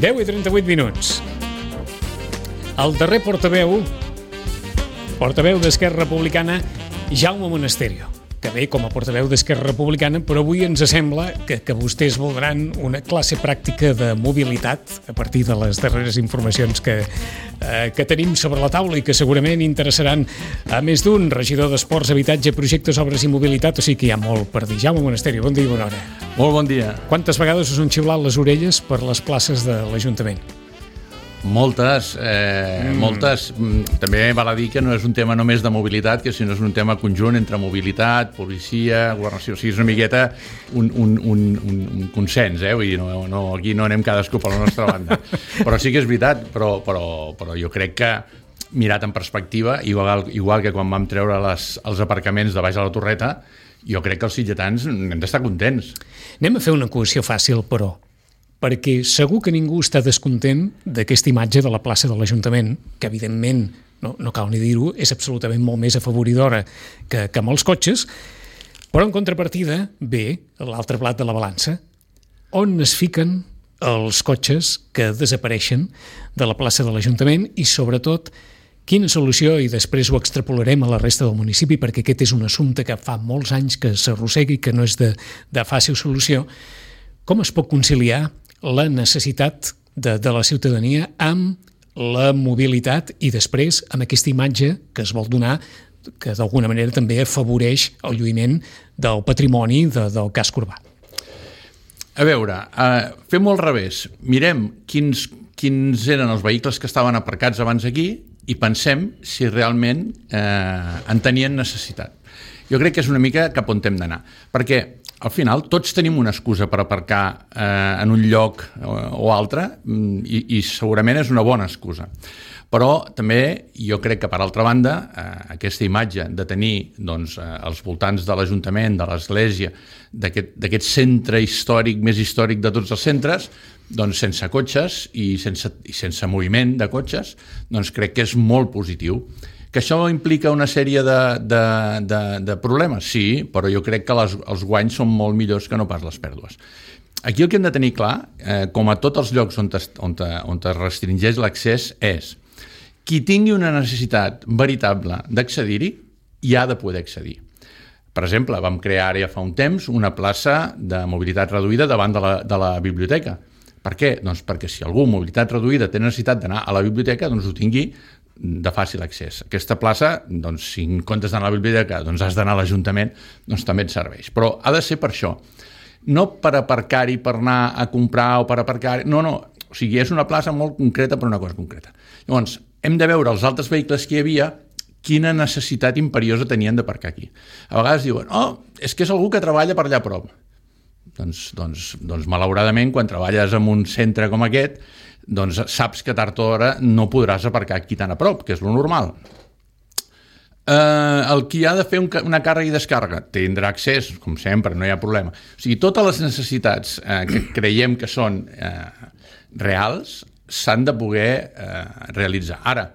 10:38. El darrer portaveu d'Esquerra Republicana, Jaume Monasterio, que ve com a portaveu d'Esquerra Republicana, però avui ens sembla que vostès voldran una classe pràctica de mobilitat a partir de les darreres informacions que tenim sobre la taula i que segurament interessaran a més d'un. Regidor d'Esports, Habitatge, Projectes, Obres i Mobilitat, o sigui que hi ha molt per dir. Jaume Monasterio, bon dia i bona hora. Molt bon dia. Quantes vegades us han xiulat les orelles per les places de l'Ajuntament? Moltes. També val a dir que no és un tema només de mobilitat, que sinó és un tema conjunt entre mobilitat, policia, governació. O sigui, és una miqueta un consens, Vull dir, aquí no anem cadascú per la nostra banda. Però sí que és veritat, però jo crec que mirat en perspectiva, igual que quan vam treure els aparcaments de baix a la Torreta, jo crec que els sitgetans hem d'estar contents. Anem a fer una equació fàcil, però, perquè segur que ningú està descontent d'aquesta imatge de la plaça de l'Ajuntament, que evidentment, no cal ni dir-ho, és absolutament molt més afavoridora que amb els cotxes, però en contrapartida ve l'altre plat de la balança, on es fiquen els cotxes que desapareixen de la plaça de l'Ajuntament i, sobretot, quina solució, i després ho extrapolarem a la resta del municipi, perquè aquest és un assumpte que fa molts anys que s'arrossega i que no és de fàcil solució. Com es pot conciliar la necessitat de la ciutadania amb la mobilitat i després amb aquesta imatge que es vol donar, que d'alguna manera també afavoreix el lluïment del patrimoni del casc urbà? A veure, fem-ho al revés. Mirem quins eren els vehicles que estaven aparcats abans aquí i pensem si realment en tenien necessitat. Jo crec que és una mica cap on hem d'anar, perquè al final tots tenim una excusa per aparcar en un lloc o altre i segurament és una bona excusa. Però també jo crec que, per altra banda, aquesta imatge de tenir als voltants de l'Ajuntament, de l'Església, d'aquest centre històric, més històric de tots els centres, sense cotxes i sense moviment de cotxes, crec que és molt positiu. Que això implica una sèrie de problemes? Sí, però jo crec que els guanys són molt millors que no pas les pèrdues. Aquí el que hem de tenir clar, com a tots els llocs on es restringeix l'accés, és qui tingui una necessitat veritable d'accedir-hi, hi ha de poder accedir. Per exemple, vam crear ara ja fa un temps una plaça de mobilitat reduïda davant de la biblioteca. Per què? Doncs perquè si algú amb mobilitat reduïda té necessitat d'anar a la biblioteca, ho tingui de fàcil accés. Aquesta plaça, si en comptes d'anar a la biblioteca has d'anar a l'Ajuntament, també et serveix. Però ha de ser per això. No per aparcar-hi, per anar a comprar o per aparcar-hi. No. O sigui, és una plaça molt concreta per una cosa concreta. Llavors, hem de veure els altres vehicles que hi havia quina necessitat imperiosa tenien d'aparcar aquí. A vegades diuen, és que és algú que treballa per allà a prop. Doncs malauradament, quan treballes en un centre com aquest, saps que tard o d'hora no podràs aparcar aquí tan a prop, que és lo normal. El qui ha de fer una càrrega i descàrrega tindrà accés, com sempre, no hi ha problema. O sigui, totes les necessitats que creiem que són reals s'han de poder realitzar. Ara,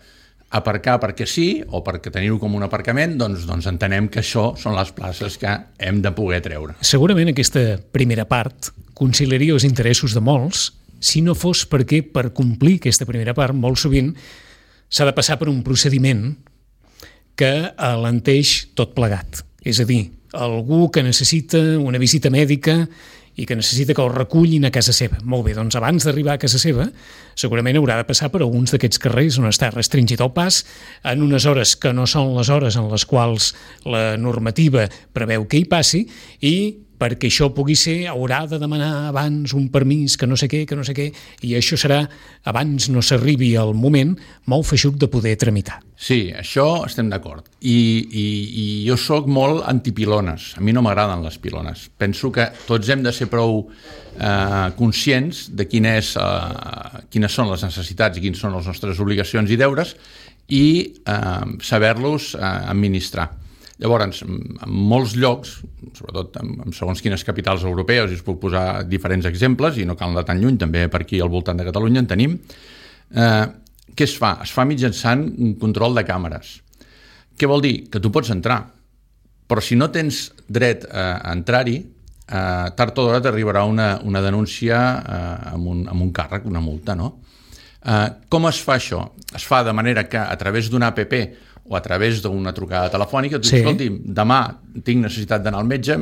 aparcar perquè sí o perquè tenir-ho com un aparcament, doncs entenem que això són les places que hem de poder treure. Segurament aquesta primera part conciliaria els interessos de molts, si no fos perquè per complir aquesta primera part molt sovint s'ha de passar per un procediment que alenteix tot plegat. És a dir, algú que necessita una visita mèdica i que necessita que el recullin a casa seva. Molt bé, doncs abans d'arribar a casa seva segurament haurà de passar per alguns d'aquests carrers on està restringit el pas en unes hores que no són les hores en les quals la normativa preveu que hi passi i perquè això pugui ser, haurà de demanar abans un permís que no sé què, i això serà, abans no s'arribi al moment, molt feixuc de poder tramitar. Sí, això estem d'acord. I jo sóc molt antipilones. A mi no m'agraden les pilones. Penso que tots hem de ser prou conscients de quines són les necessitats i quines són les nostres obligacions i deures i saber-los administrar. Llavors, en molts llocs, sobretot en segons quines capitals europees, i us puc posar diferents exemples, i no cal anar tan lluny, també per aquí al voltant de Catalunya en tenim, què es fa? Es fa mitjançant un control de càmeres. Què vol dir? Que tu pots entrar, però si no tens dret a entrar-hi, tard o d'hora t'arribarà una denúncia amb un càrrec, una multa, no? Com es fa això? Es fa de manera que a través d'una app o a través d'una trucada telefònica, tu dius, escolti, demà tinc necessitat d'anar al metge,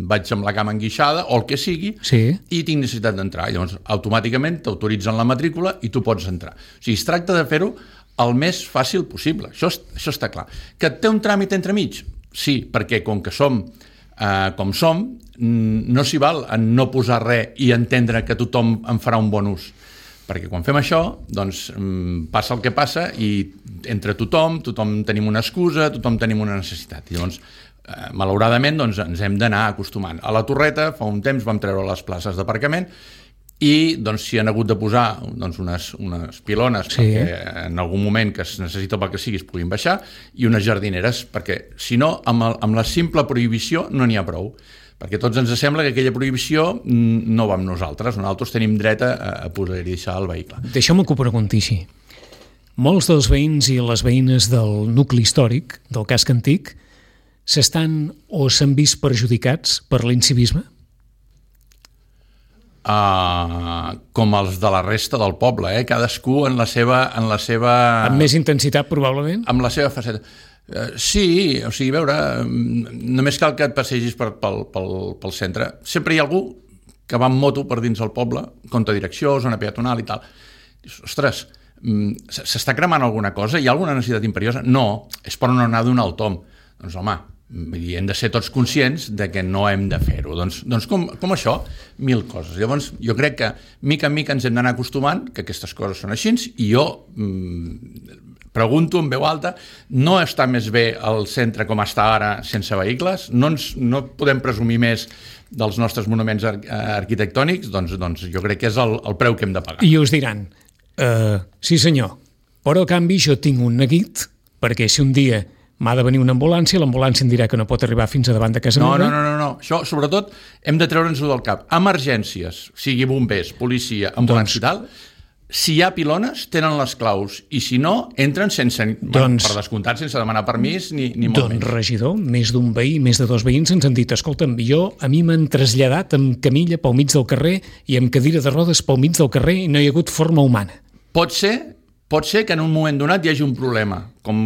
vaig amb la cama enguixada o el que sigui, i tinc necessitat d'entrar. Llavors, automàticament t'autoritzen la matrícula i tu pots entrar. O sigui, es tracta de fer-ho el més fàcil possible. Això està clar. Que té un tràmit entremig? Sí, perquè com que som com som, no s'hi val a no posar res i entendre que tothom en farà un bon ús. Perquè quan fem això, doncs passa el que passa i entre tothom tenim una excusa, tothom tenim una necessitat. I llavors, malauradament, doncs, ens hem d'anar acostumant. A la Torreta, fa un temps, vam treure les places d'aparcament i doncs, s'hi han hagut de posar doncs, unes pilones perquè en algun moment que es necessita pel que sigui es puguin baixar i unes jardineres, perquè si no, amb la simple prohibició no n'hi ha prou. Perquè tots ens sembla que aquella prohibició no va amb nosaltres tenim dret a posar-hi deixar el vehicle. Deixeu-me que ho pregunti així. Molts dels veïns i les veïnes del nucli històric, del casc antic, s'estan o s'han vist perjudicats per l'incivisme? Com els de la resta del poble, cadascú en la seva... Amb més intensitat, probablement? Amb la seva faceta. Sí, o sigui, a veure, només cal que et passegis pel centre. Sempre hi ha algú que va amb moto per dins el poble, contra direcció, zona peatonal i tal. Dius, ostres, s'està cremant alguna cosa? Hi ha alguna necessitat imperiosa? No, és per no anar d'un alt tom. Doncs home, hem de ser tots conscients de que no hem de fer-ho. Doncs com això, 1000 coses. Llavors, jo crec que mica en mica ens hem d'anar acostumant que aquestes coses són així i jo... pregunto en veu alta, no està més bé el centre com està ara sense vehicles? No podem presumir més dels nostres monuments arquitectònics? Doncs jo crec que és el preu que hem de pagar. I us diran, sí senyor, però a canvi jo tinc un neguit, perquè si un dia m'ha de venir una ambulància, l'ambulància em dirà que no pot arribar fins a davant de casa meva. No. Això, sobretot, hem de treure'ns-ho del cap. Emergències, sigui bombers, policia, ambulància i tal, si hi ha pilones, tenen les claus, i si no, entren sense, per descomptat, sense demanar permís ni molt menys. Doncs, regidor, més d'un veí, més de 2 veïns ens han dit, escolta'm, a mi m'han traslladat amb camilla pel mig del carrer i amb cadira de rodes pel mig del carrer i no hi ha hagut forma humana. Pot ser que en un moment donat hi hagi un problema, com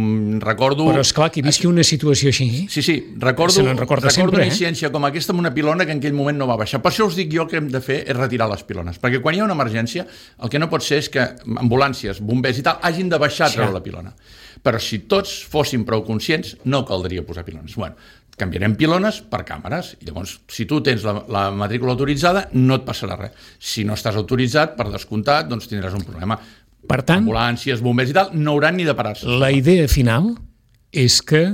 recordo... Però esclar, que visqui una situació així... Sí, recordo una incidència com aquesta amb una pilona que en aquell moment no va baixar. Per això us dic jo que hem de fer és retirar les pilones, perquè quan hi ha una emergència el que no pot ser és que ambulàncies, bombers i tal hagin de baixar a treure la pilona. Però si tots fóssim prou conscients no caldria posar pilones. Bueno, canviarem pilones per càmeres i llavors si tu tens la matrícula autoritzada no et passarà res. Si no estàs autoritzat, per descomptat, doncs tindràs un problema. Per tant, ambulàncies, bombers i tal, no hauran ni de parar-se. La idea final és que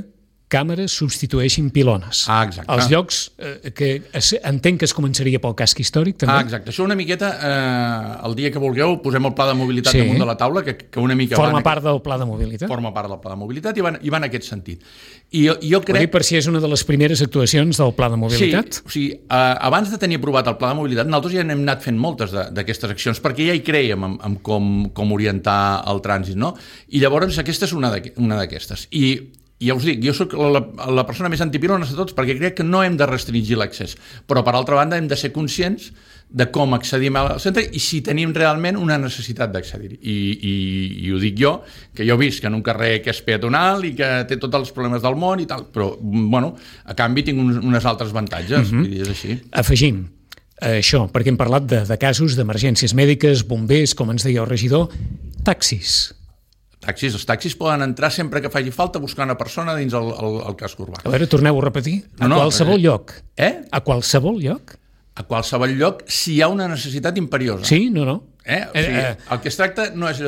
càmeres substitueixin pilones. Exacte. Els llocs que entenc que es començaria pel casc històric, també. Exacte. Això una miqueta, el dia que vulgueu, posem el pla de mobilitat damunt de la taula, que una mica... Forma part del pla de mobilitat. Forma part del pla de mobilitat i va en aquest sentit. I jo crec... Ho dic per si és una de les primeres actuacions del pla de mobilitat. Sí, o sigui, abans de tenir aprovat el pla de mobilitat, nosaltres ja n'hem anat fent moltes d'aquestes accions, perquè ja hi creiem en com orientar el trànsit, no? I llavors aquesta és una d'aquestes. I ja us dic, jo soc la persona més antipilones de tots perquè crec que no hem de restringir l'accés, però per altra banda hem de ser conscients de com accedim al centre i si tenim realment una necessitat d'accedir-hi. I ho dic jo, que jo visc en un carrer que és peatonal i que té tots els problemes del món i tal, però bueno, a canvi tinc uns altres avantatges, i és així. Afegim això, perquè hem parlat de casos d'emergències mèdiques, bombers, com ens deia el regidor, taxis. Els taxis poden entrar sempre que faci falta buscar una persona dins el casc urbà. A veure, torneu a repetir. Qualsevol lloc. A qualsevol lloc? A qualsevol lloc si hi ha una necessitat imperiosa. Sí, no. O sigui, el que es tracta no és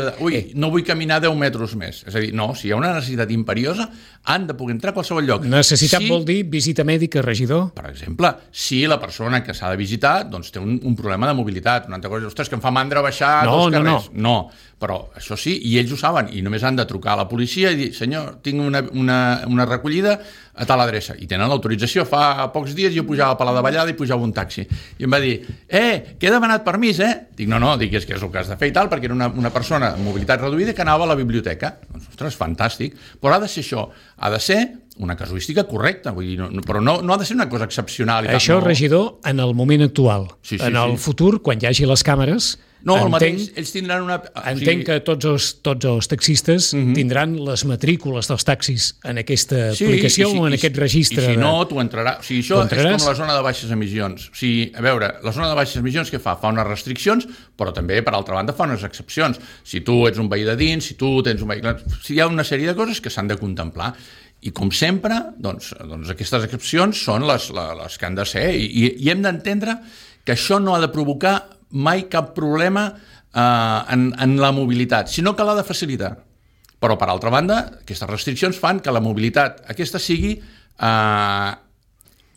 no vull caminar 10 metres més. És a dir, no, si hi ha una necessitat imperiosa han de poder entrar a qualsevol lloc. Necessitat vol dir visita mèdica, regidor? Per exemple, si la persona que s'ha de visitar doncs, té un problema de mobilitat, una altra cosa, ostres, que em fa mandra baixar dos carrers. No, però això sí, i ells ho saben, i només han de trucar a la policia i dir, senyor, tinc una recollida a tal adreça, i tenen l'autorització. Fa pocs dies jo pujava a Palau de Vallada i pujava un taxi, i em va dir, que he demanat permís, Dic, no, dic, és que és el que has de fer i tal, perquè era una persona amb mobilitat reduïda que anava a la biblioteca. Doncs, ostres, fantàstic, però ha de ser això, ha de ser una casuística correcta, vull dir, però no ha de ser una cosa excepcional. Això, regidor, en el moment actual. En el futur, quan hi hagi les càmeres, el mateix, ells tindran una... Entenc que tots els taxistes tindran les matrícules dels taxis en aquesta aplicació o en aquest registre. I si no, tu entraràs. O sigui, això és com la zona de baixes emissions. O sigui, a veure, la zona de baixes emissions què fa? Fa unes restriccions, però també, per altra banda, fa unes excepcions. Si tu ets un veí de dins, si tu tens un vehicle... Si hi ha una sèrie de coses que s'han de contemplar. I com sempre, doncs aquestes excepcions són les que han de ser i hem d'entendre que això no ha de provocar mai cap problema en la mobilitat, sinó que l'ha de facilitar. Però, per altra banda, aquestes restriccions fan que la mobilitat aquesta sigui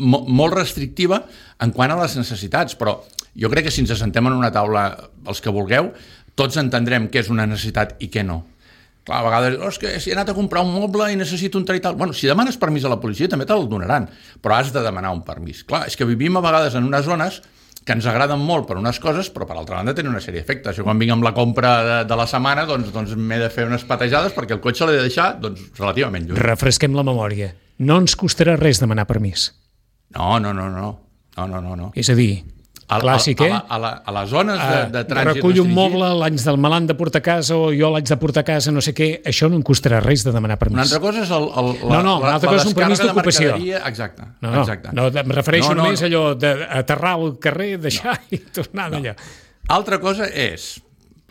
molt restrictiva en quant a les necessitats, però jo crec que si ens assentem en una taula, els que vulgueu, tots entendrem què és una necessitat i què no. Clar, a vegades, és que si he anat a comprar un moble i necessito un tal i tal... Bueno, si demanes permís a la policia també te'l donaran, però has de demanar un permís. Clar, és que vivim a vegades en unes zones que ens agraden molt per unes coses, però per altra banda tenen una sèrie d'efectes. Jo quan vinc amb la compra de la setmana doncs m'he de fer unes patejades perquè el cotxe l'he de deixar relativament lluny. Refresquem la memòria. No ens costarà res demanar permís. No. És a dir, clàssic, a les zones de trànsit recull un moble, l'haig del malant de portar a casa o jo l'haig de portar a casa, no sé què, això no em costarà res de demanar permís. Una altra cosa és una altra cosa és un permís d'ocupació. Exacte. No, em refereixo només a allò d'aterrar al carrer, deixar i tornar d'allà. Altra cosa és,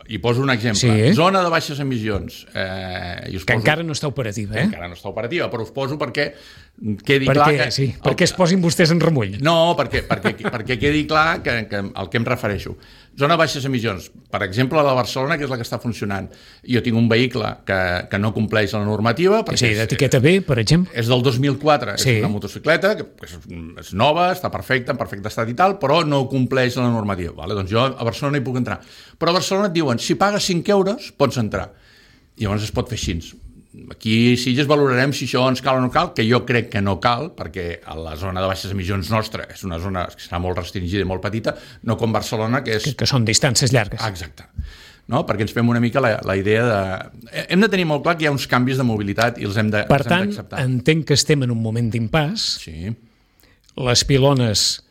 i poso un exemple, zona de baixes emissions. Que encara no està operativa, Encara no està operativa, però us poso perquè quedi clar que... perquè es posin vostès en remull. No, perquè quedi clar que al que em refereixo. Zona de baixes emissions, per exemple, a la Barcelona, que és la que està funcionant. Jo tinc un vehicle que no compleix la normativa. Sí, d'etiqueta B, per exemple. És del 2004, és una motocicleta, que és nova, està perfecta, en perfecte estat i tal, però no compleix la normativa. Vale? Doncs jo a Barcelona hi puc entrar. Però a Barcelona et diuen, si pagues 5 euros, pots entrar. I llavors es pot fer així. Aquí sí ja valorarem si això ens cal o no cal, que jo crec que no cal, perquè a la zona de baixes emissions nostra és una zona que serà molt restringida i molt petita, no com Barcelona, que és... Que són distàncies llargues. Exacte. No? Perquè ens fem una mica la idea de... Hem de tenir molt clar que hi ha uns canvis de mobilitat i els hem d'acceptar. Per tant, entenc que estem en un moment d'impàs. Sí. Les pilones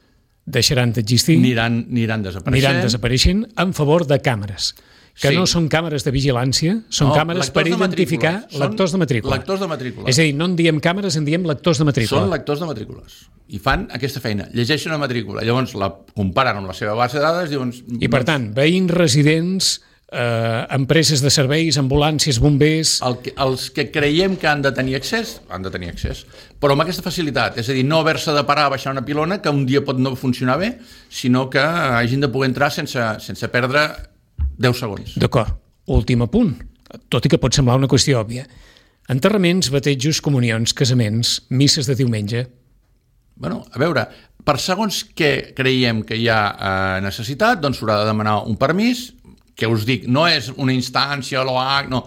deixaran d'existir. Aniran desapareixent en favor de càmeres. Que no són càmeres de vigilància, són càmeres per identificar lectors de matrícula. Lectors de matrícula. És a dir, no en diem càmeres, en diem lectors de matrícula. Són lectors de matrícules. I fan aquesta feina. Llegeixen una matrícula. Llavors la comparen amb la seva base de dades. I per tant, veïns, residents, empreses de serveis, ambulàncies, bombers... Els que creiem que han de tenir accés, però amb aquesta facilitat. És a dir, no haver-se de parar a baixar una pilona, que un dia pot no funcionar bé, sinó que hagin de poder entrar sense perdre 10 segons. D'acord. Últim apunt, tot i que pot semblar una qüestió òbvia. Enterraments, batejos, comunions, casaments, misses de diumenge. Bueno, a veure, per segons que creiem que hi ha necessitat, doncs s'haurà de demanar un permís, que us dic, no és una instància, l'OAC, no.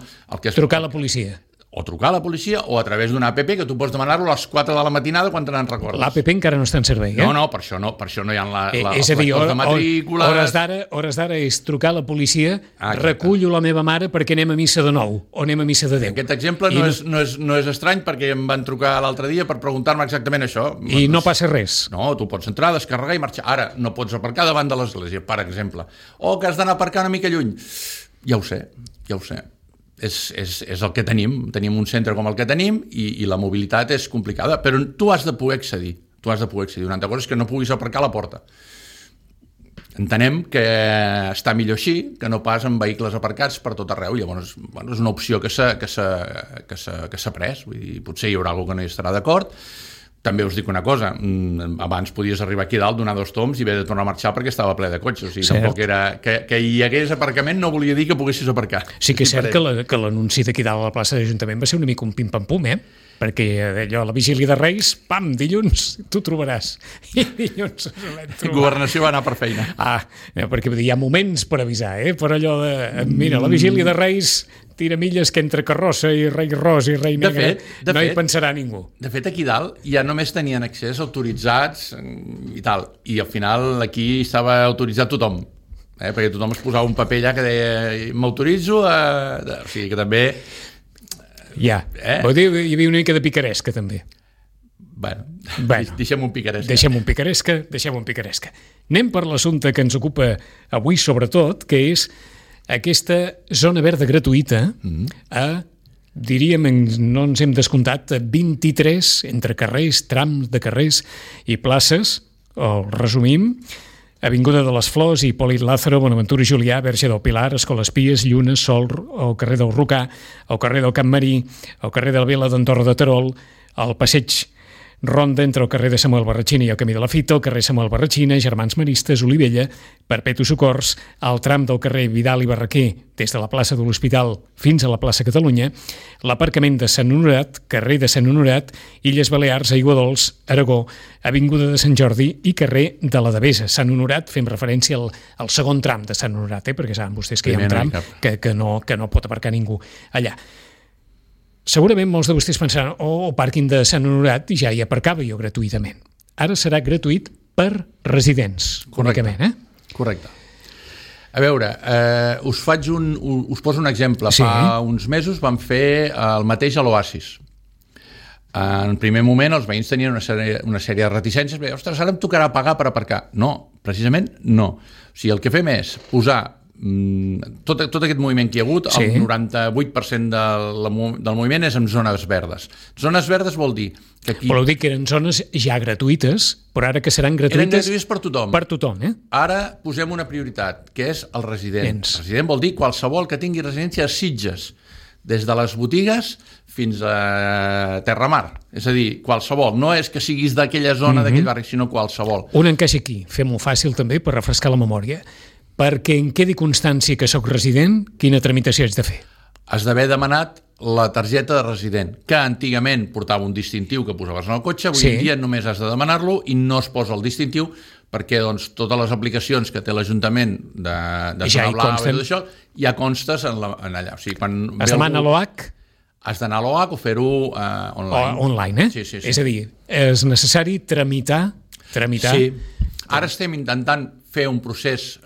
Trucar a la policia. O trucar a la policia o a través d'una app que tu pots demanar-lo a les 4 de la matinada quan te n'en recordes. L'APP encara no està en servei, No, per això no hi ha és a dir, de matrícules... Hores d'ara és trucar a la policia, recullo la meva mare perquè anem a missa de 9 o anem a missa de 10. Aquest exemple no és estrany perquè em van trucar l'altre dia per preguntar-me exactament això. I no passa res. No, tu pots entrar, descarregar i marxar. Ara no pots aparcar davant de l'església, per exemple. O que has d'anar a aparcar una mica lluny. Ja ho sé. És el que tenim un centre com el que tenim i la mobilitat és complicada, però tu has de poder accedir. Una altra cosa és que no puguis aparcar a la porta. Entenem que està millor així que no pas amb vehicles aparcats per tot arreu. Llavors, és una opció que s'ha pres. Vull dir, potser hi haurà algú que no hi estarà d'acord. També us dic una cosa, abans podies arribar aquí dalt, donar 2 tombs i haver de tornar a marxar perquè estava ple de cotxes. O sigui, tampoc era... Que hi hagués aparcament no volia dir que poguessis aparcar. Sí que és cert que l'anunci d'aquí dalt a la plaça de l'Ajuntament va ser una mica un pim-pam-pum, perquè allò, a la vigília de Reis, pam, dilluns tu trobaràs. I dilluns Governació va anar per feina. Perquè hi ha moments per avisar, per allò de... Mira, la vigília de Reis... tira milles que entre carrossa i rei ros i rei negre no hi pensarà ningú. De fet, aquí dalt ja només tenien accés autoritzats i tal, i al final aquí estava autoritzat tothom, perquè tothom es posava un paper allà que deia m'autoritzo o sigui que també... Vol dir, hi havia una mica de picaresca també. Bueno, deixem un picaresca. Deixem un picaresca. Anem per l'assumpte que ens ocupa avui sobretot, que és aquesta zona verda gratuïta diríem, no ens hem descomptat, 23 entre carrers, trams de carrers i places, o resumim, Avinguda de les Flors, Hipòlit Lázaro, Bonaventura i Julià, Verge del Pilar, Escoles Pies, Lluna, Sol, el carrer del Rocà, el carrer del Camp Marí, el carrer de la Vila d'Andorra de Terol, el passeig Ronda entre el carrer de Samuel Barratxina i el Camí de la Fita, el carrer Samuel Barratxina, Germans Maristes, Olivella, Perpetu Socors, el tram del carrer Vidal i Barraquer des de la plaça de l'Hospital fins a la plaça Catalunya, l'aparcament de Sant Honorat, carrer de Sant Honorat, Illes Balears, Aigua Dols, Aragó, Avinguda de Sant Jordi i carrer de la Devesa. Sant Honorat, fem referència al segon tram de Sant Honorat, perquè saben vostès que hi ha un tram que no pot aparcar ningú allà. Segurament molts de vostès pensaran, el pàrquing de Sant Honorat ja hi aparcava jo gratuïtament. Ara serà gratuït per residents, únicament. Correcte. A veure, us poso un exemple. Sí. Fa uns mesos vam fer el mateix a l'Oasis. En primer moment els veïns tenien una sèrie de reticències, però, ostres, ara em tocarà pagar per aparcar. No, precisament no. O sigui, el que fem és posar tot aquest moviment que hi ha hagut, el 98% del moviment és en zones verdes. Zones verdes vol dir que aquí... Voleu dir que eren zones ja gratuïtes, però ara que seran gratuïtes... Eren gratuïtes per tothom. Per tothom, Ara posem una prioritat, que és el resident. Resident vol dir qualsevol que tingui residència a Sitges, des de les botigues fins a Terramar. És a dir, qualsevol. No és que siguis d'aquella zona, d'aquell barri, sinó qualsevol. Un encaixa aquí. Fem-ho fàcil també per refrescar la memòria. Perquè en quedi constància que sóc resident, quina tramitació haig de fer? Has d'haver demanat la targeta de resident, que antigament portava un distintiu que posaves en el cotxe, avui en dia només has de demanar-lo i no es posa el distintiu perquè totes les aplicacions que té l'Ajuntament de Zona Blava i tot això ja constes en allà. O sigui, es demana a l'OH? Has d'anar a l'OH o fer-ho online. Online, Sí. És a dir, és necessari tramitar... Sí. Ara estem intentant fer un procés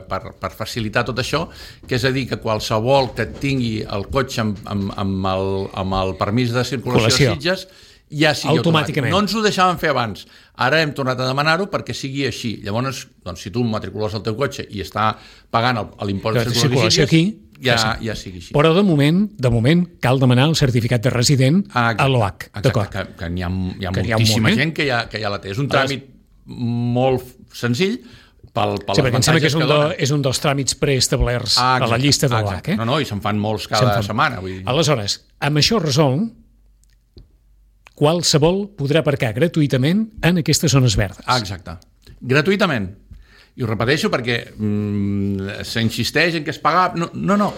per facilitar tot això, que és a dir, que qualsevol que tingui el cotxe amb el permís de circulació a Sitges ja sigui automàtic. No ens ho deixàvem fer abans. Ara hem tornat a demanar-ho perquè sigui així. Llavors, si tu matricules el teu cotxe i està pagant l'impost de circulació aquí, ja sigui així. Però de moment cal demanar el certificat de resident a l'OH. Exacte, que hi ha moltíssima gent que ja la té. És un tràmit molt senzill, perquè em sembla que és un dels tràmits preestablerts a la llista de l'OH. No, i se'n fan molts cada setmana. Aleshores, amb això resol, qualsevol podrà aparcar gratuïtament en aquestes zones verdes. Exacte. Gratuïtament. I ho repeteixo perquè s'insisteix en que es paga... No.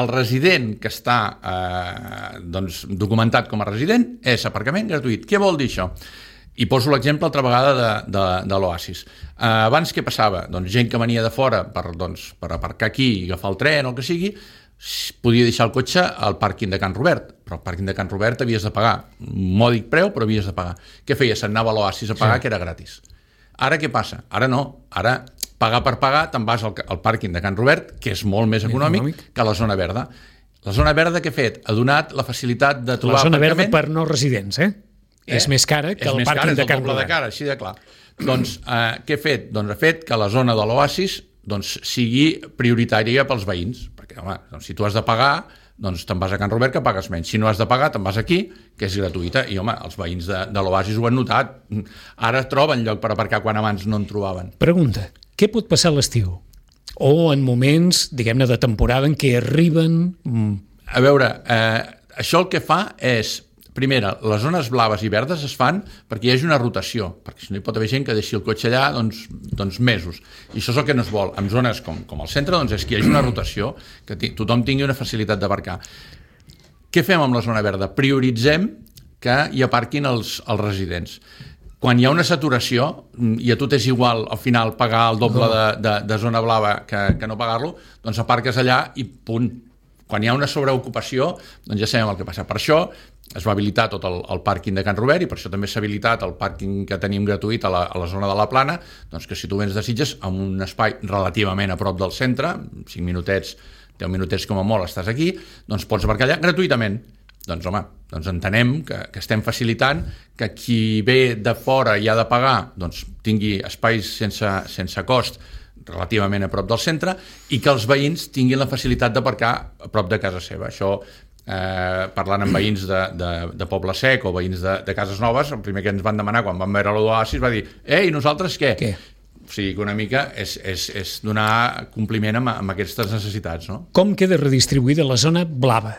El resident que està documentat com a resident és aparcament gratuït. Què vol dir això? I poso l'exemple altra vegada de l'Oasis. Abans què passava? Gent que venia de fora per aparcar aquí i agafar el tren o el que sigui, podia deixar el cotxe al pàrquing de Can Robert, però al pàrquing de Can Robert havies de pagar un mòdic preu, però havies de pagar. Què feies? Se'n anava a l'Oasis a pagar, que era gratis. Ara què passa? Ara no. Ara, pagar per pagar, te'n vas al pàrquing de Can Robert, que és molt més econòmic que la zona verda. La zona verda què ha fet? Ha donat la facilitat de trobar aparcament... La zona verda per no residents, És més cara que el pàrquing de Can Robert. És més cara, així de clar. Doncs què ha fet? Doncs ha fet que la zona de l'Oasis sigui prioritària pels veïns, perquè si tu has de pagar, te'n vas a Can Robert que pagues menys. Si no has de pagar, te'n vas aquí, que és gratuïta. I els veïns de l'Oasis ho han notat. Ara troben lloc per aparcar quan abans no en trobaven. Pregunta, què pot passar a l'estiu? O en moments, diguem-ne, de temporada en què arriben... A veure, això el que fa és... Primera, les zones blaves i verdes es fan perquè hi hagi una rotació, perquè si no hi pot haver gent que deixi el cotxe allà mesos. I això és el que no es vol. En zones com el centre és que hi hagi una rotació, que tothom tingui una facilitat d'aparcar. Què fem amb la zona verda? Prioritzem que hi aparquin els residents. Quan hi ha una saturació i a tu t'és igual al final pagar el doble de zona blava que no pagar-lo, doncs aparques allà i punt. Quan hi ha una sobreocupació, ja sabem el que passa. Per això es va habilitar tot el pàrquing de Can Robert i per això també s'ha habilitat el pàrquing que tenim gratuït a la zona de la Plana, doncs que si tu vens de Sitges amb un espai relativament a prop del centre, 5 minutets, 10 minutets com a molt estàs aquí, doncs pots aparcar allà gratuïtament. Doncs home, doncs entenem que estem facilitant que qui ve de fora i ha de pagar doncs tingui espais sense cost relativament a prop del centre i que els veïns tinguin la facilitat d'aparcar a prop de casa seva. Això, parlant amb veïns de Poble Sec o veïns de Cases Noves, el primer que ens van demanar quan van veure l'Oasis va dir «Ei, nosaltres què?» O sigui que una mica és donar compliment amb aquestes necessitats. No? Com queda redistribuïda la zona blava?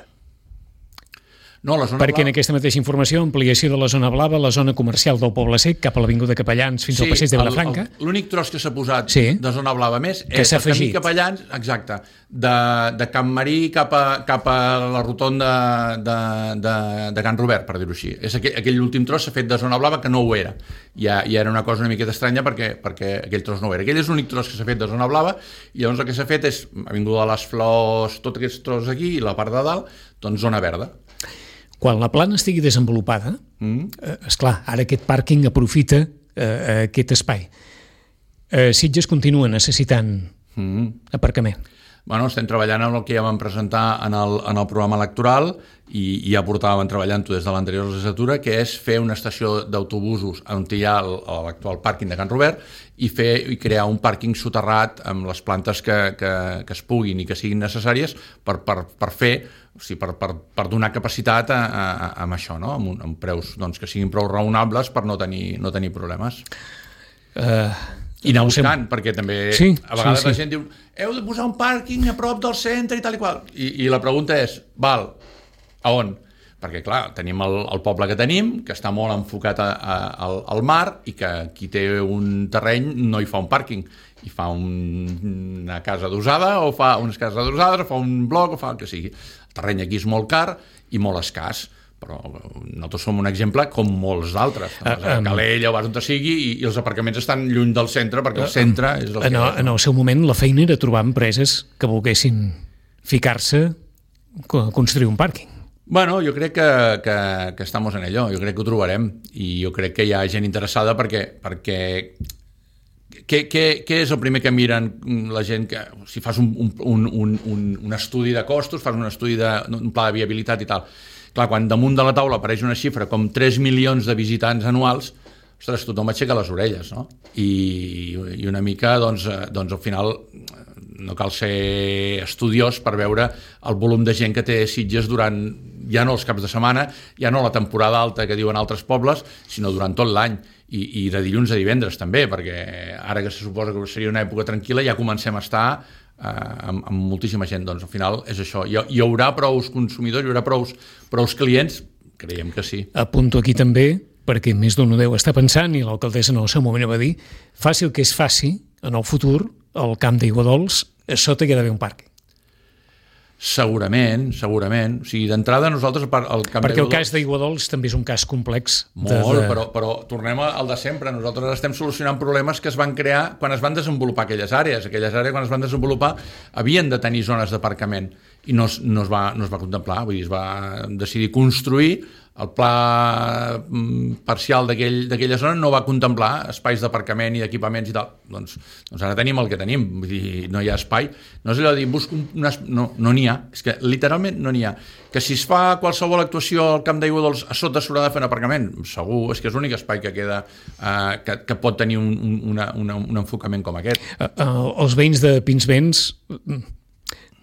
No, la zona perquè blava... en aquesta mateixa informació, ampliació de la zona blava, la zona comercial del Poble Sec, cap a l'Avinguda Capellans fins al passeig de Vilafranca. L'únic tros que s'ha posat de zona blava més és el camí Capellans, exacte, de Can Marí cap a la rotonda de Can Robert, per dir-ho així. Aquell últim tros s'ha fet de zona blava que no ho era. Ja era una cosa una miqueta estranya perquè aquell tros no ho era. Aquell és l'únic tros que s'ha fet de zona blava i llavors el que s'ha fet és Avinguda de les Flors, tot aquest tros aquí i la part de dalt, doncs zona verda. Quan la plana estigui desenvolupada, esclar, ara aquest pàrquing aprofita aquest espai. Sitges continua necessitant aparcament. Bueno, estem treballant en el que ja vam presentar en el programa electoral i ja portàvem treballant-ho des de l'anterior legislatura, que és fer una estació d'autobusos on hi ha l'actual pàrquing de Can Robert i crear un pàrquing soterrat amb les plantes que es puguin i que siguin necessàries per fer, o sigui, per donar capacitat amb això, no? Amb preus que siguin prou raonables per no tenir problemes. I anar buscant, perquè també a vegades la gent diu heu de posar un pàrquing a prop del centre i tal i qual. I la pregunta és, val, a on? Perquè, clar, tenim el poble que tenim, que està molt enfocat al mar i que qui té un terreny no hi fa un pàrquing, hi fa una casa adossada o fa unes cases adossades o fa un bloc o fa el que sigui. El terreny aquí és molt car i molt escàs, però nosaltres som un exemple com molts d'altres. A Calella o vas on sigui i els aparcaments estan lluny del centre perquè el centre és el que és. En el seu moment la feina era trobar empreses que volguessin ficar-se a construir un pàrquing. Bueno, jo crec que estamos en ello, jo crec que ho trobarem i jo crec que hi ha gent interessada perquè què és el primer que miren la gent? Si fas un estudi de costos, fas un estudi d'un pla de viabilitat i tal. Clar, quan damunt de la taula apareix una xifra com 3 milions de visitants anuals, ostres, tothom aixeca les orelles, no? I una mica, doncs al final no cal ser estudiós per veure el volum de gent que té Sitges durant, ja no els caps de setmana, ja no la temporada alta que diuen altres pobles, sinó durant tot l'any. I de dilluns a divendres també, perquè ara que se suposa que seria una època tranquil·la ja comencem a estar amb moltíssima gent. Doncs al final és això. Hi haurà prous consumidors, hi haurà prous clients? Creiem que sí. Apunto aquí també, perquè més d'un ho deu estar pensant, i l'alcaldessa en el seu moment va dir, faci el que es faci, en el futur, al camp d'Aiguadols, a sota hi ha d'haver un parc. Segurament. O sigui, d'entrada nosaltres... Perquè el cas d'Aiguadols també és un cas complex. Molt, però tornem al de sempre. Nosaltres estem solucionant problemes que es van crear quan es van desenvolupar aquelles àrees. Aquelles àrees, quan es van desenvolupar, havien de tenir zones d'aparcament i no es va contemplar. Vull dir, es va decidir construir. El pla parcial d'aquella zona no va contemplar espais d'aparcament i d'equipaments i tal. Doncs ara tenim el que tenim, vull dir, no hi ha espai. No és allò de dir, busco no n'hi ha, és que literalment no n'hi ha. Que si es fa qualsevol actuació al camp d'Aiguadols a sota s'haurà de fer un aparcament, segur, és que és l'únic espai que queda que pot tenir un enfocament com aquest. Els veïns de Pinsbens,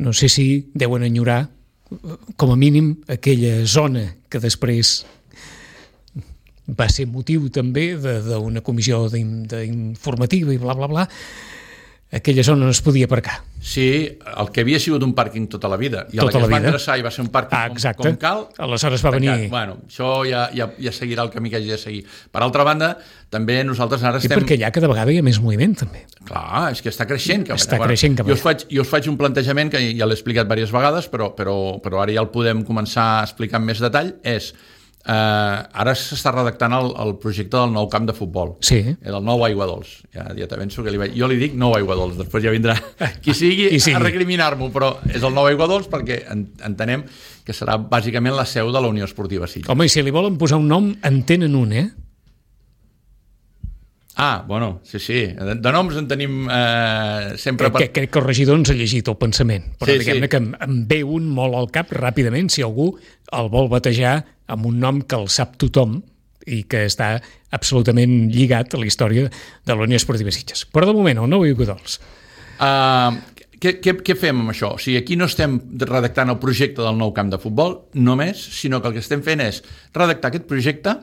no sé si deuen enyorar com a mínim aquella zona que després va ser motiu també d'una comissió informativa i bla, bla, bla, aquella zona no es podia aparcar. Sí, el que havia sigut un pàrquing tota la vida, i a la que es va endreçar i va ser un pàrquing com cal, aleshores va venir... Bueno, això ja seguirà el camí que hagi de seguir. Per altra banda, també nosaltres ara estem... I perquè allà cada vegada hi ha més moviment, també. Clar, és que està creixent. Creixent. Jo us faig un plantejament que ja l'he explicat diverses vegades, però ara ja el podem començar a explicar amb més detall, és... ara s'està redactant el projecte del nou camp de futbol, del nou Aiguadols. Ja t'avenço que jo li dic nou Aiguadols, després ja vindrà qui sigui a recriminar-m'ho, però és el nou Aiguadols perquè entenem que serà bàsicament la seu de la Unió Esportiva Sitges. Home, i si li volen posar un nom, en tenen un, Bueno, sí. De noms en tenim sempre... Crec que el regidor ens ha llegit el pensament, però Sí, diguem-ne que em ve un molt al cap ràpidament si algú el vol batejar amb un nom que el sap tothom i que està absolutament lligat a la història de la Unió Esportiva Sitges. Però de moment, el nou Iugodols. Què fem amb això? O sigui, aquí no estem redactant el projecte del nou camp de futbol només, sinó que el que estem fent és redactar aquest projecte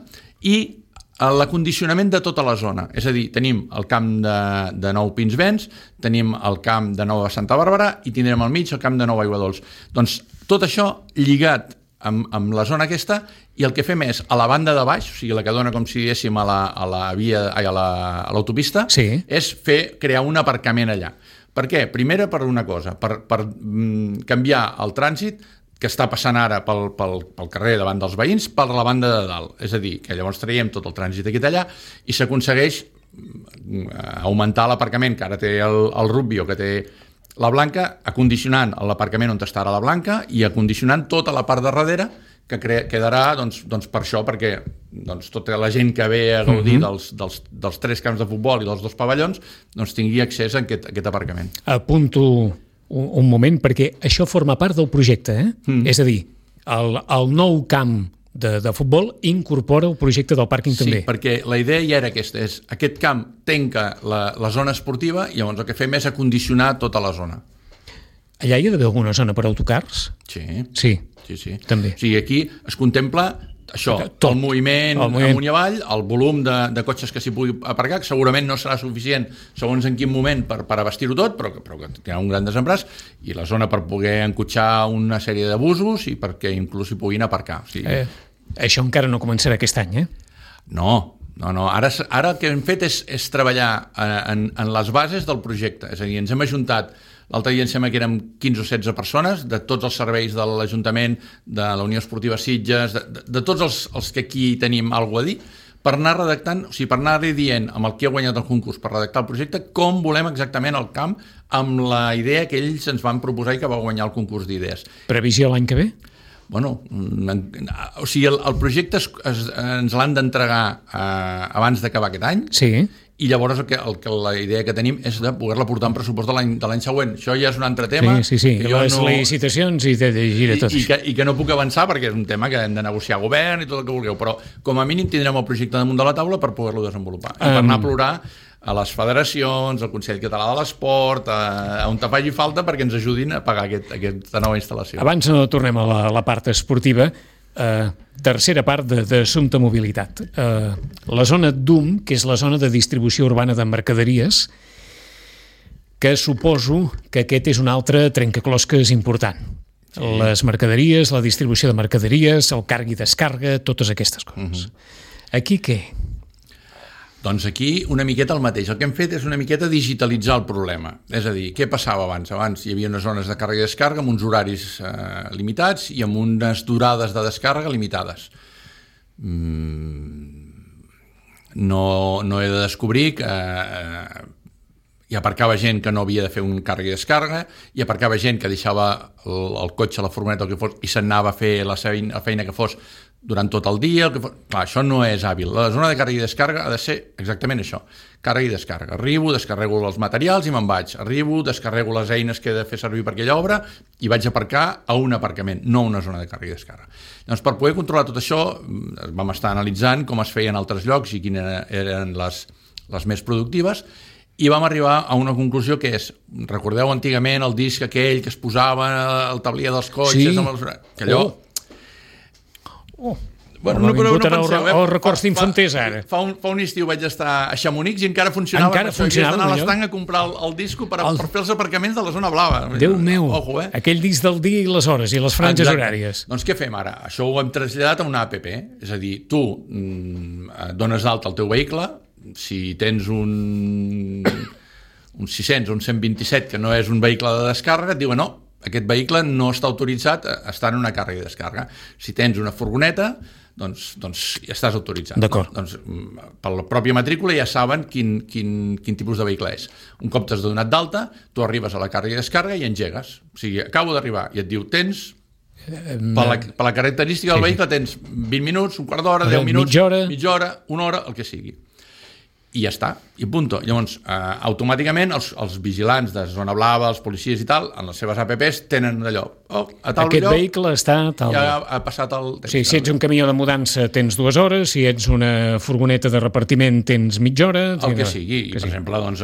i l'acondicionament de tota la zona. És a dir, tenim el camp de Nou Pinsbens, tenim el camp de Nova Santa Bàrbara i tindrem al mig el camp de Nou Aiguadols. Doncs tot això lligat amb la zona aquesta, i el que fem és, a la banda de baix, o sigui, la que dona com si diguéssim a l'autopista, sí, és crear un aparcament allà. Per què? Primera, per una cosa, per canviar el trànsit que està passant ara pel carrer davant dels veïns per la banda de dalt. És a dir, que llavors traiem tot el trànsit aquí allà i s'aconsegueix augmentar l'aparcament que ara té el Rugby o que té la Blanca, acondicionant l'aparcament on està ara la Blanca i acondicionant tota la part de darrere que quedarà doncs per això, perquè tota la gent que ve a gaudir dels 3 camps de futbol i dels 2 pavellons tingui accés a aquest aparcament. Apunto un moment, perquè això forma part del projecte, És a dir, el nou camp de futbol incorpora el projecte del pàrquing també. Sí, perquè la idea ja era aquesta, és aquest camp tanca la zona esportiva i llavors el que fem és acondicionar tota la zona. Allà hi ha d'haver alguna zona per autocars? Sí. També. O sigui, aquí es contempla això, el moviment amunt i avall, el volum de cotxes que s'hi pugui aparcar, que segurament no serà suficient segons en quin moment per abastir-ho tot, però que tindrà un gran desembràs, i la zona per poder encotxar una sèrie de busos i perquè inclús hi puguin aparcar. O sigui, això encara no començarà aquest any, No. Ara el que hem fet és treballar en les bases del projecte. És a dir, ens hem ajuntat, l'altre dia em sembla que érem 15 o 16 persones, de tots els serveis de l'Ajuntament, de la Unió Esportiva Sitges, de tots els que aquí tenim alguna a dir, per anar redactant, o sigui, per anar dient amb el qui ha guanyat el concurs per redactar el projecte, com volem exactament el camp amb la idea que ells ens van proposar i que va guanyar el concurs d'idees. Previsió l'any que ve? Bueno, o sigui, el projecte ens l'han d'entregar abans d'acabar aquest any. Sí. I llavors la idea que tenim és de poder-la portar en pressupost de l'any següent. Això ja és un altre tema. Sí. Les licitacions i de gira tot. I que no puc avançar perquè és un tema que hem de negociar a govern i tot el que vulgueu, però com a mínim tindrem el projecte damunt de la taula per poder-lo desenvolupar. I per anar a plorar a les federacions, al Consell Català de l'Esport, on te faci falta perquè ens ajudin a pagar aquesta nova instal·lació. Abans no tornem a la part esportiva, tercera part d'assumpte mobilitat. La zona DUM, que és la zona de distribució urbana de mercaderies, que suposo que aquest és un altre trencaclosques important. Sí. Les mercaderies, la distribució de mercaderies, el carga i descarga, totes aquestes coses. Aquí què? Doncs aquí una miqueta el mateix. El que hem fet és una miqueta digitalitzar el problema. És a dir, què passava abans? Abans hi havia unes zones de càrrega i descàrrega amb uns horaris limitats i amb unes durades de descàrrega limitades. No he de descobrir que hi aparcava gent que no havia de fer un càrrega i descàrrega, hi aparcava gent que deixava el cotxe, la furgoneta, el que fos, i se'n anava a fer la feina que fos durant tot el dia. Clar, això no és hàbil. La zona de càrrega i descàrrega ha de ser exactament això, càrrega i descàrrega. Arribo, descarrego els materials i me'n vaig. Arribo, descarrego les eines que he de fer servir per aquella obra i vaig a aparcar a un aparcament, no a una zona de càrrega i descàrrega. Doncs per poder controlar tot això vam estar analitzant com es feia en altres llocs i quines eren les més productives, i vam arribar a una conclusió que és, recordeu antigament el disc aquell que es posava al tablier dels cotxes, que allò... Bueno, no penseu, records d'infanters ara. Fa un estiu vaig estar a Chamonix i encara funcionava. Havies d'anar a l'estanc a comprar el disco per fer els aparcaments de la zona blava. Déu meu, aquell disc del dia i les hores i les franges horàries. Doncs què fem ara? Això ho hem traslladat a una app, és a dir, tu dones d'alta el teu vehicle, si tens un 600 o un 127 que no és un vehicle de descàrrega, et diuen no, aquest vehicle no està autoritzat a estar en una càrrega i descàrrega. Si tens una furgoneta, doncs ja estàs autoritzat. D'acord. Doncs per la pròpia matrícula ja saben quin tipus de vehicle és. Un cop t'has donat d'alta, tu arribes a la càrrega i descàrrega i engegues. O sigui, acabo d'arribar i et diu, tens... Per la característica del vehicle tens 20 minuts, un quart d'hora, 10 minuts, mitja hora, una hora, el que sigui. i ja està, i punto. Llavors, automàticament, els vigilants de zona blava, els policies i tal, en les seves apps tenen d'allò, a tal aquest lloc, vehicle està tal. ja ha passat el temps. Sí, si ets un camió de mudança tens 2 hores, si ets una furgoneta de repartiment tens mitja hora... El que sigui, i per exemple, doncs,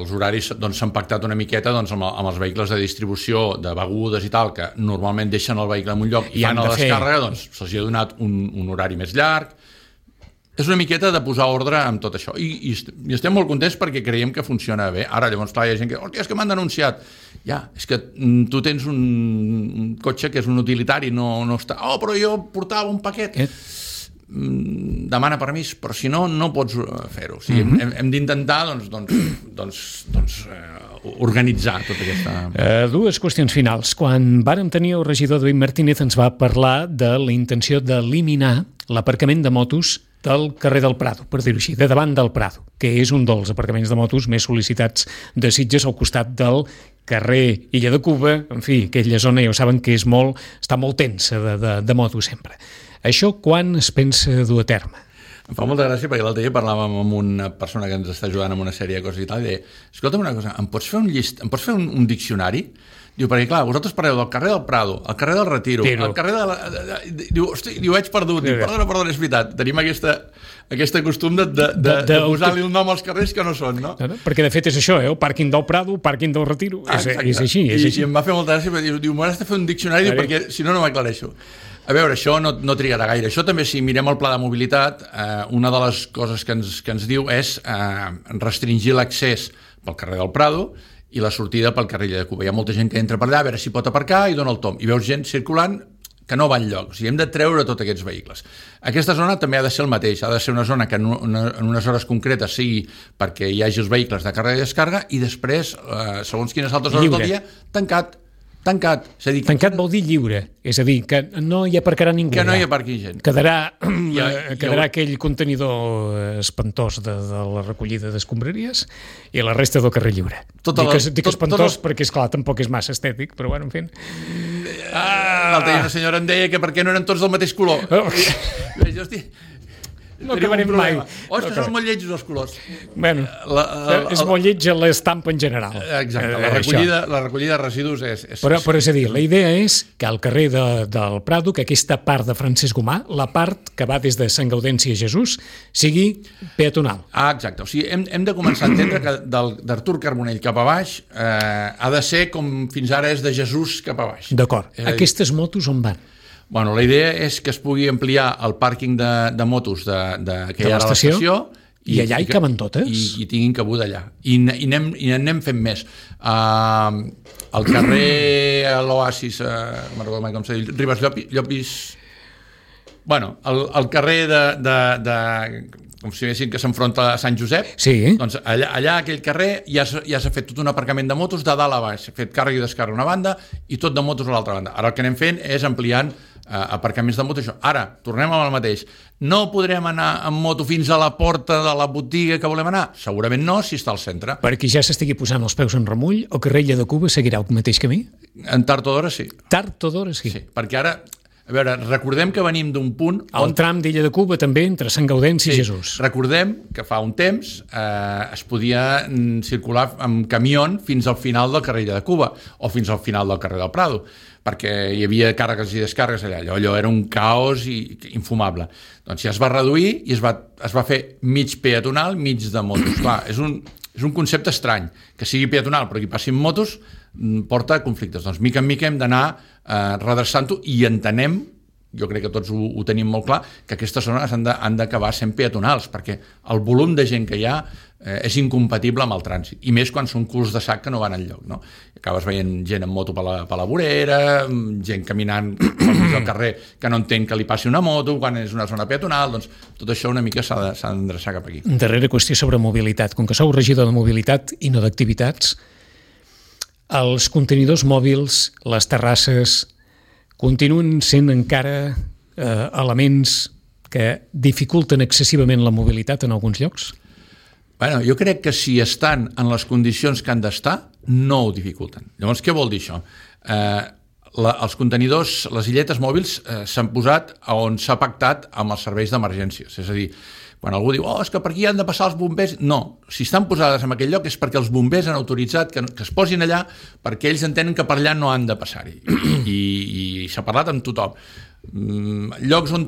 els horaris s'han pactat una miqueta doncs, amb els vehicles de distribució de begudes i tal, que normalment deixen el vehicle en un lloc i fan la descàrrega, doncs se'ls ha donat un horari més llarg. És una miqueta de posar ordre amb tot això. I estem molt contents perquè creiem que funciona bé. Ara, llavors, clar, hi ha gent que... Hòstia, és que m'han denunciat. Ja, és que tu tens un cotxe que és un utilitari, no està... Oh, però jo portava un paquet. Demana permís, però si no, no pots fer-ho. O sigui, hem d'intentar, organitzar tota aquesta... Dues qüestions finals. Quan vàrem tenir el regidor David Martínez ens va parlar de la intenció d'eliminar l'aparcament de motos del carrer del Prado, per dir-ho així, de davant del Prado, que és un dels aparcaments de motos més sol·licitats de Sitges al costat del carrer Illa de Cuba. En fi, aquella zona ja ho saben que està molt tensa de motos sempre. Això quan es pensa dur a terme? Em fa molta gràcia perquè l'altre dia parlàvem amb una persona que ens està ajudant amb una sèrie de coses i tal, i deia, escolta'm una cosa, em pots fer un diccionari? Diu, perquè clar, vosaltres parleu del carrer del Prado, el carrer del Retiro, el carrer Diu, hosti, ho veig perdut. Diu, perdona, és veritat. Tenim aquesta costum de posar-li el nom als carrers que no són, no? Perquè de fet és això, el pàrquing del Prado, el pàrquing del Retiro, és així. I em va fer molta gràcia, perquè diu, m'has de fer un diccionari perquè si no m'aclareixo. A veure, això no trigarà gaire. Això també, si mirem el pla de mobilitat, una de les coses que ens diu és restringir l'accés pel carrer del Prado i la sortida pel carrer de Cuba. Hi ha molta gent que entra per allà a veure si pot aparcar i dona el tom. I veus gent circulant que no va enlloc. O sigui, hem de treure tots aquests vehicles. Aquesta zona també ha de ser el mateix. Ha de ser una zona que en unes hores concretes sigui perquè hi hagi els vehicles de càrrega i descàrrega i després, segons quines altres hores del dia, tancat. És a dir, tancat vol dir lliure, és a dir, que no hi aparcarà ningú. Que no hi aparqui gent. Quedarà aquell contenidor espantós de la recollida d'escombraries i la resta del carrer lliure. Dic espantós perquè, esclar, tampoc és massa estètic, però bueno, en fi. L'altre dia una senyora em deia que per què no eren tots del mateix color. Hosti, no acabarem mai. És que són molt lletjos els colors. Bueno, és molt lletja l'estampa en general. Exacte, la recollida de residus és... Però és a dir, la idea és que al carrer del Prado, que aquesta part de Francesc Gomà, la part que va des de Sant Gaudenci a Jesús, sigui peatonal. Exacte, o sigui, hem de començar a entendre que d'Artur Carbonell cap a baix ha de ser com fins ara és de Jesús cap a baix. D'acord. Aquestes motos on van? Bueno, la idea és que es pugui ampliar el pàrquing de motos que hi ha a l'estació i allà hi caben totes i tinguin cabuda allà i anem fent més. Al carrer l'Oasis, no recordo mai com s'ha dit, Ribes Llopis, bueno, el carrer com si diguessin que s'enfronta a Sant Josep, doncs allà aquell carrer ja s'ha fet tot un aparcament de motos de dalt a baix, s'ha fet càrrega i descàrrega una banda i tot de motos a l'altra banda. Ara el que anem fent és ampliant aparcaments de moto. Ara, tornem amb el mateix. No podrem anar amb moto fins a la porta de la botiga que volem anar? Segurament no, si està al centre. Perquè ja s'estigui posant els peus en remull, o carrer Illa de Cuba seguirà el mateix camí? En tard o d'hora sí. Tard o d'hora sí. Sí, perquè ara... A veure, recordem que venim d'un punt... El tram d'Illa de Cuba també, entre Sant Gaudenci i Jesús. Recordem que fa un temps es podia circular amb camió fins al final del carrer de Cuba o fins al final del carrer del Prado, perquè hi havia càrregues i descàrregues allà. Allò era un caos infumable. Doncs ja es va reduir i es va fer mig peatonal, mig de motos. Clar, és un concepte estrany, que sigui peatonal però que hi passin motos porta conflictes. Doncs mica en mica hem d'anar redreçant-ho i entenem, jo crec que tots ho tenim molt clar, que aquestes zones han d'acabar sent peatonals, perquè el volum de gent que hi ha és incompatible amb el trànsit, i més quan són culs de sac que no van enlloc, no? Acabes veient gent en moto per la vorera, gent caminant pel mig del carrer que no entén que li passi una moto quan és una zona peatonal, doncs tot això una mica s'ha d'endreçar cap aquí. Darrera qüestió sobre mobilitat. Com que sou regidor de mobilitat i no d'activitats, els contenidors mòbils, les terrasses, continuen sent encara elements que dificulten excessivament la mobilitat en alguns llocs? Bueno, jo crec que si estan en les condicions que han d'estar, no ho dificulten. Llavors, què vol dir això? Els contenidors, les illetes mòbils, s'han posat on s'ha pactat amb els serveis d'emergències. És a dir, quan algú diu, és que per aquí han de passar els bombers, no, si estan posades en aquell lloc és perquè els bombers han autoritzat que es posin allà perquè ells entenen que per allà no han de passar-hi, i s'ha parlat amb tothom. Llocs on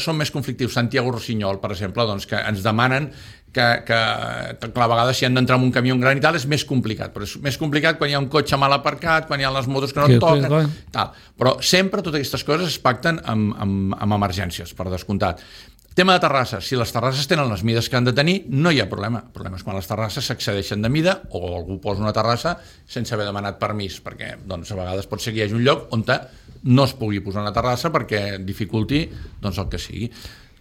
són més conflictius, Santiago Rossinyol, per exemple, doncs, que ens demanen que a vegades si han d'entrar en un camió gran i tal és més complicat, però és més complicat quan hi ha un cotxe mal aparcat, quan hi ha les motos que no et toquen, tal. Però sempre totes aquestes coses es pacten amb emergències, per descomptat. Tema de terrasses, si les terrasses tenen les mides que han de tenir, no hi ha problema. El problema és quan les terrasses s'excedeixen de mida o algú posa una terrassa sense haver demanat permís, perquè doncs, a vegades pot ser que hi hagi un lloc on no es pugui posar una terrassa perquè dificulti doncs, el que sigui.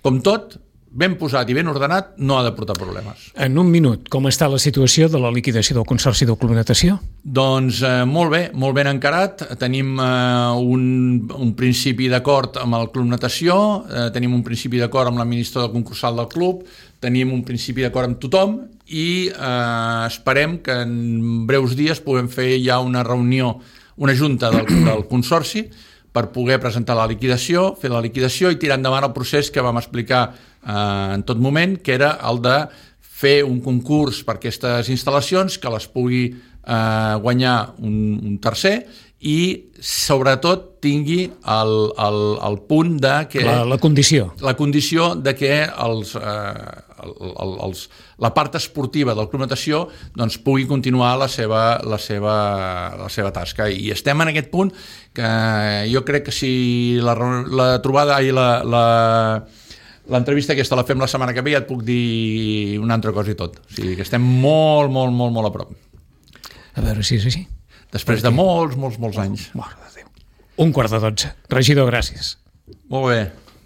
Com tot, ben posat i ben ordenat no ha de portar problemes. En un minut, com està la situació de la liquidació del Consorci del Club Natació? Doncs molt ben encarat. Tenim un principi d'acord amb el Club Natació, tenim un principi d'acord amb l'administrador concursal del club, tenim un principi d'acord amb tothom i esperem que en breus dies puguem fer ja una reunió, una junta del Consorci per poder presentar la liquidació, fer la liquidació i tirar endavant el procés que vam explicar en tot moment, que era el de fer un concurs per aquestes instal·lacions, que les pugui guanyar un tercer i sobretot tingui el punt de que... La condició. La condició de que la part esportiva del Club Natació doncs, pugui continuar la seva tasca. I estem en aquest punt que jo crec que si la trobada i l'entrevista aquesta la fem la setmana que ve ja et puc dir una altra cosa i tot. O sigui que estem molt a prop. A veure si és així. Després de molts anys. Mare de Déu. 11:45. Regidor, gràcies. Molt bé.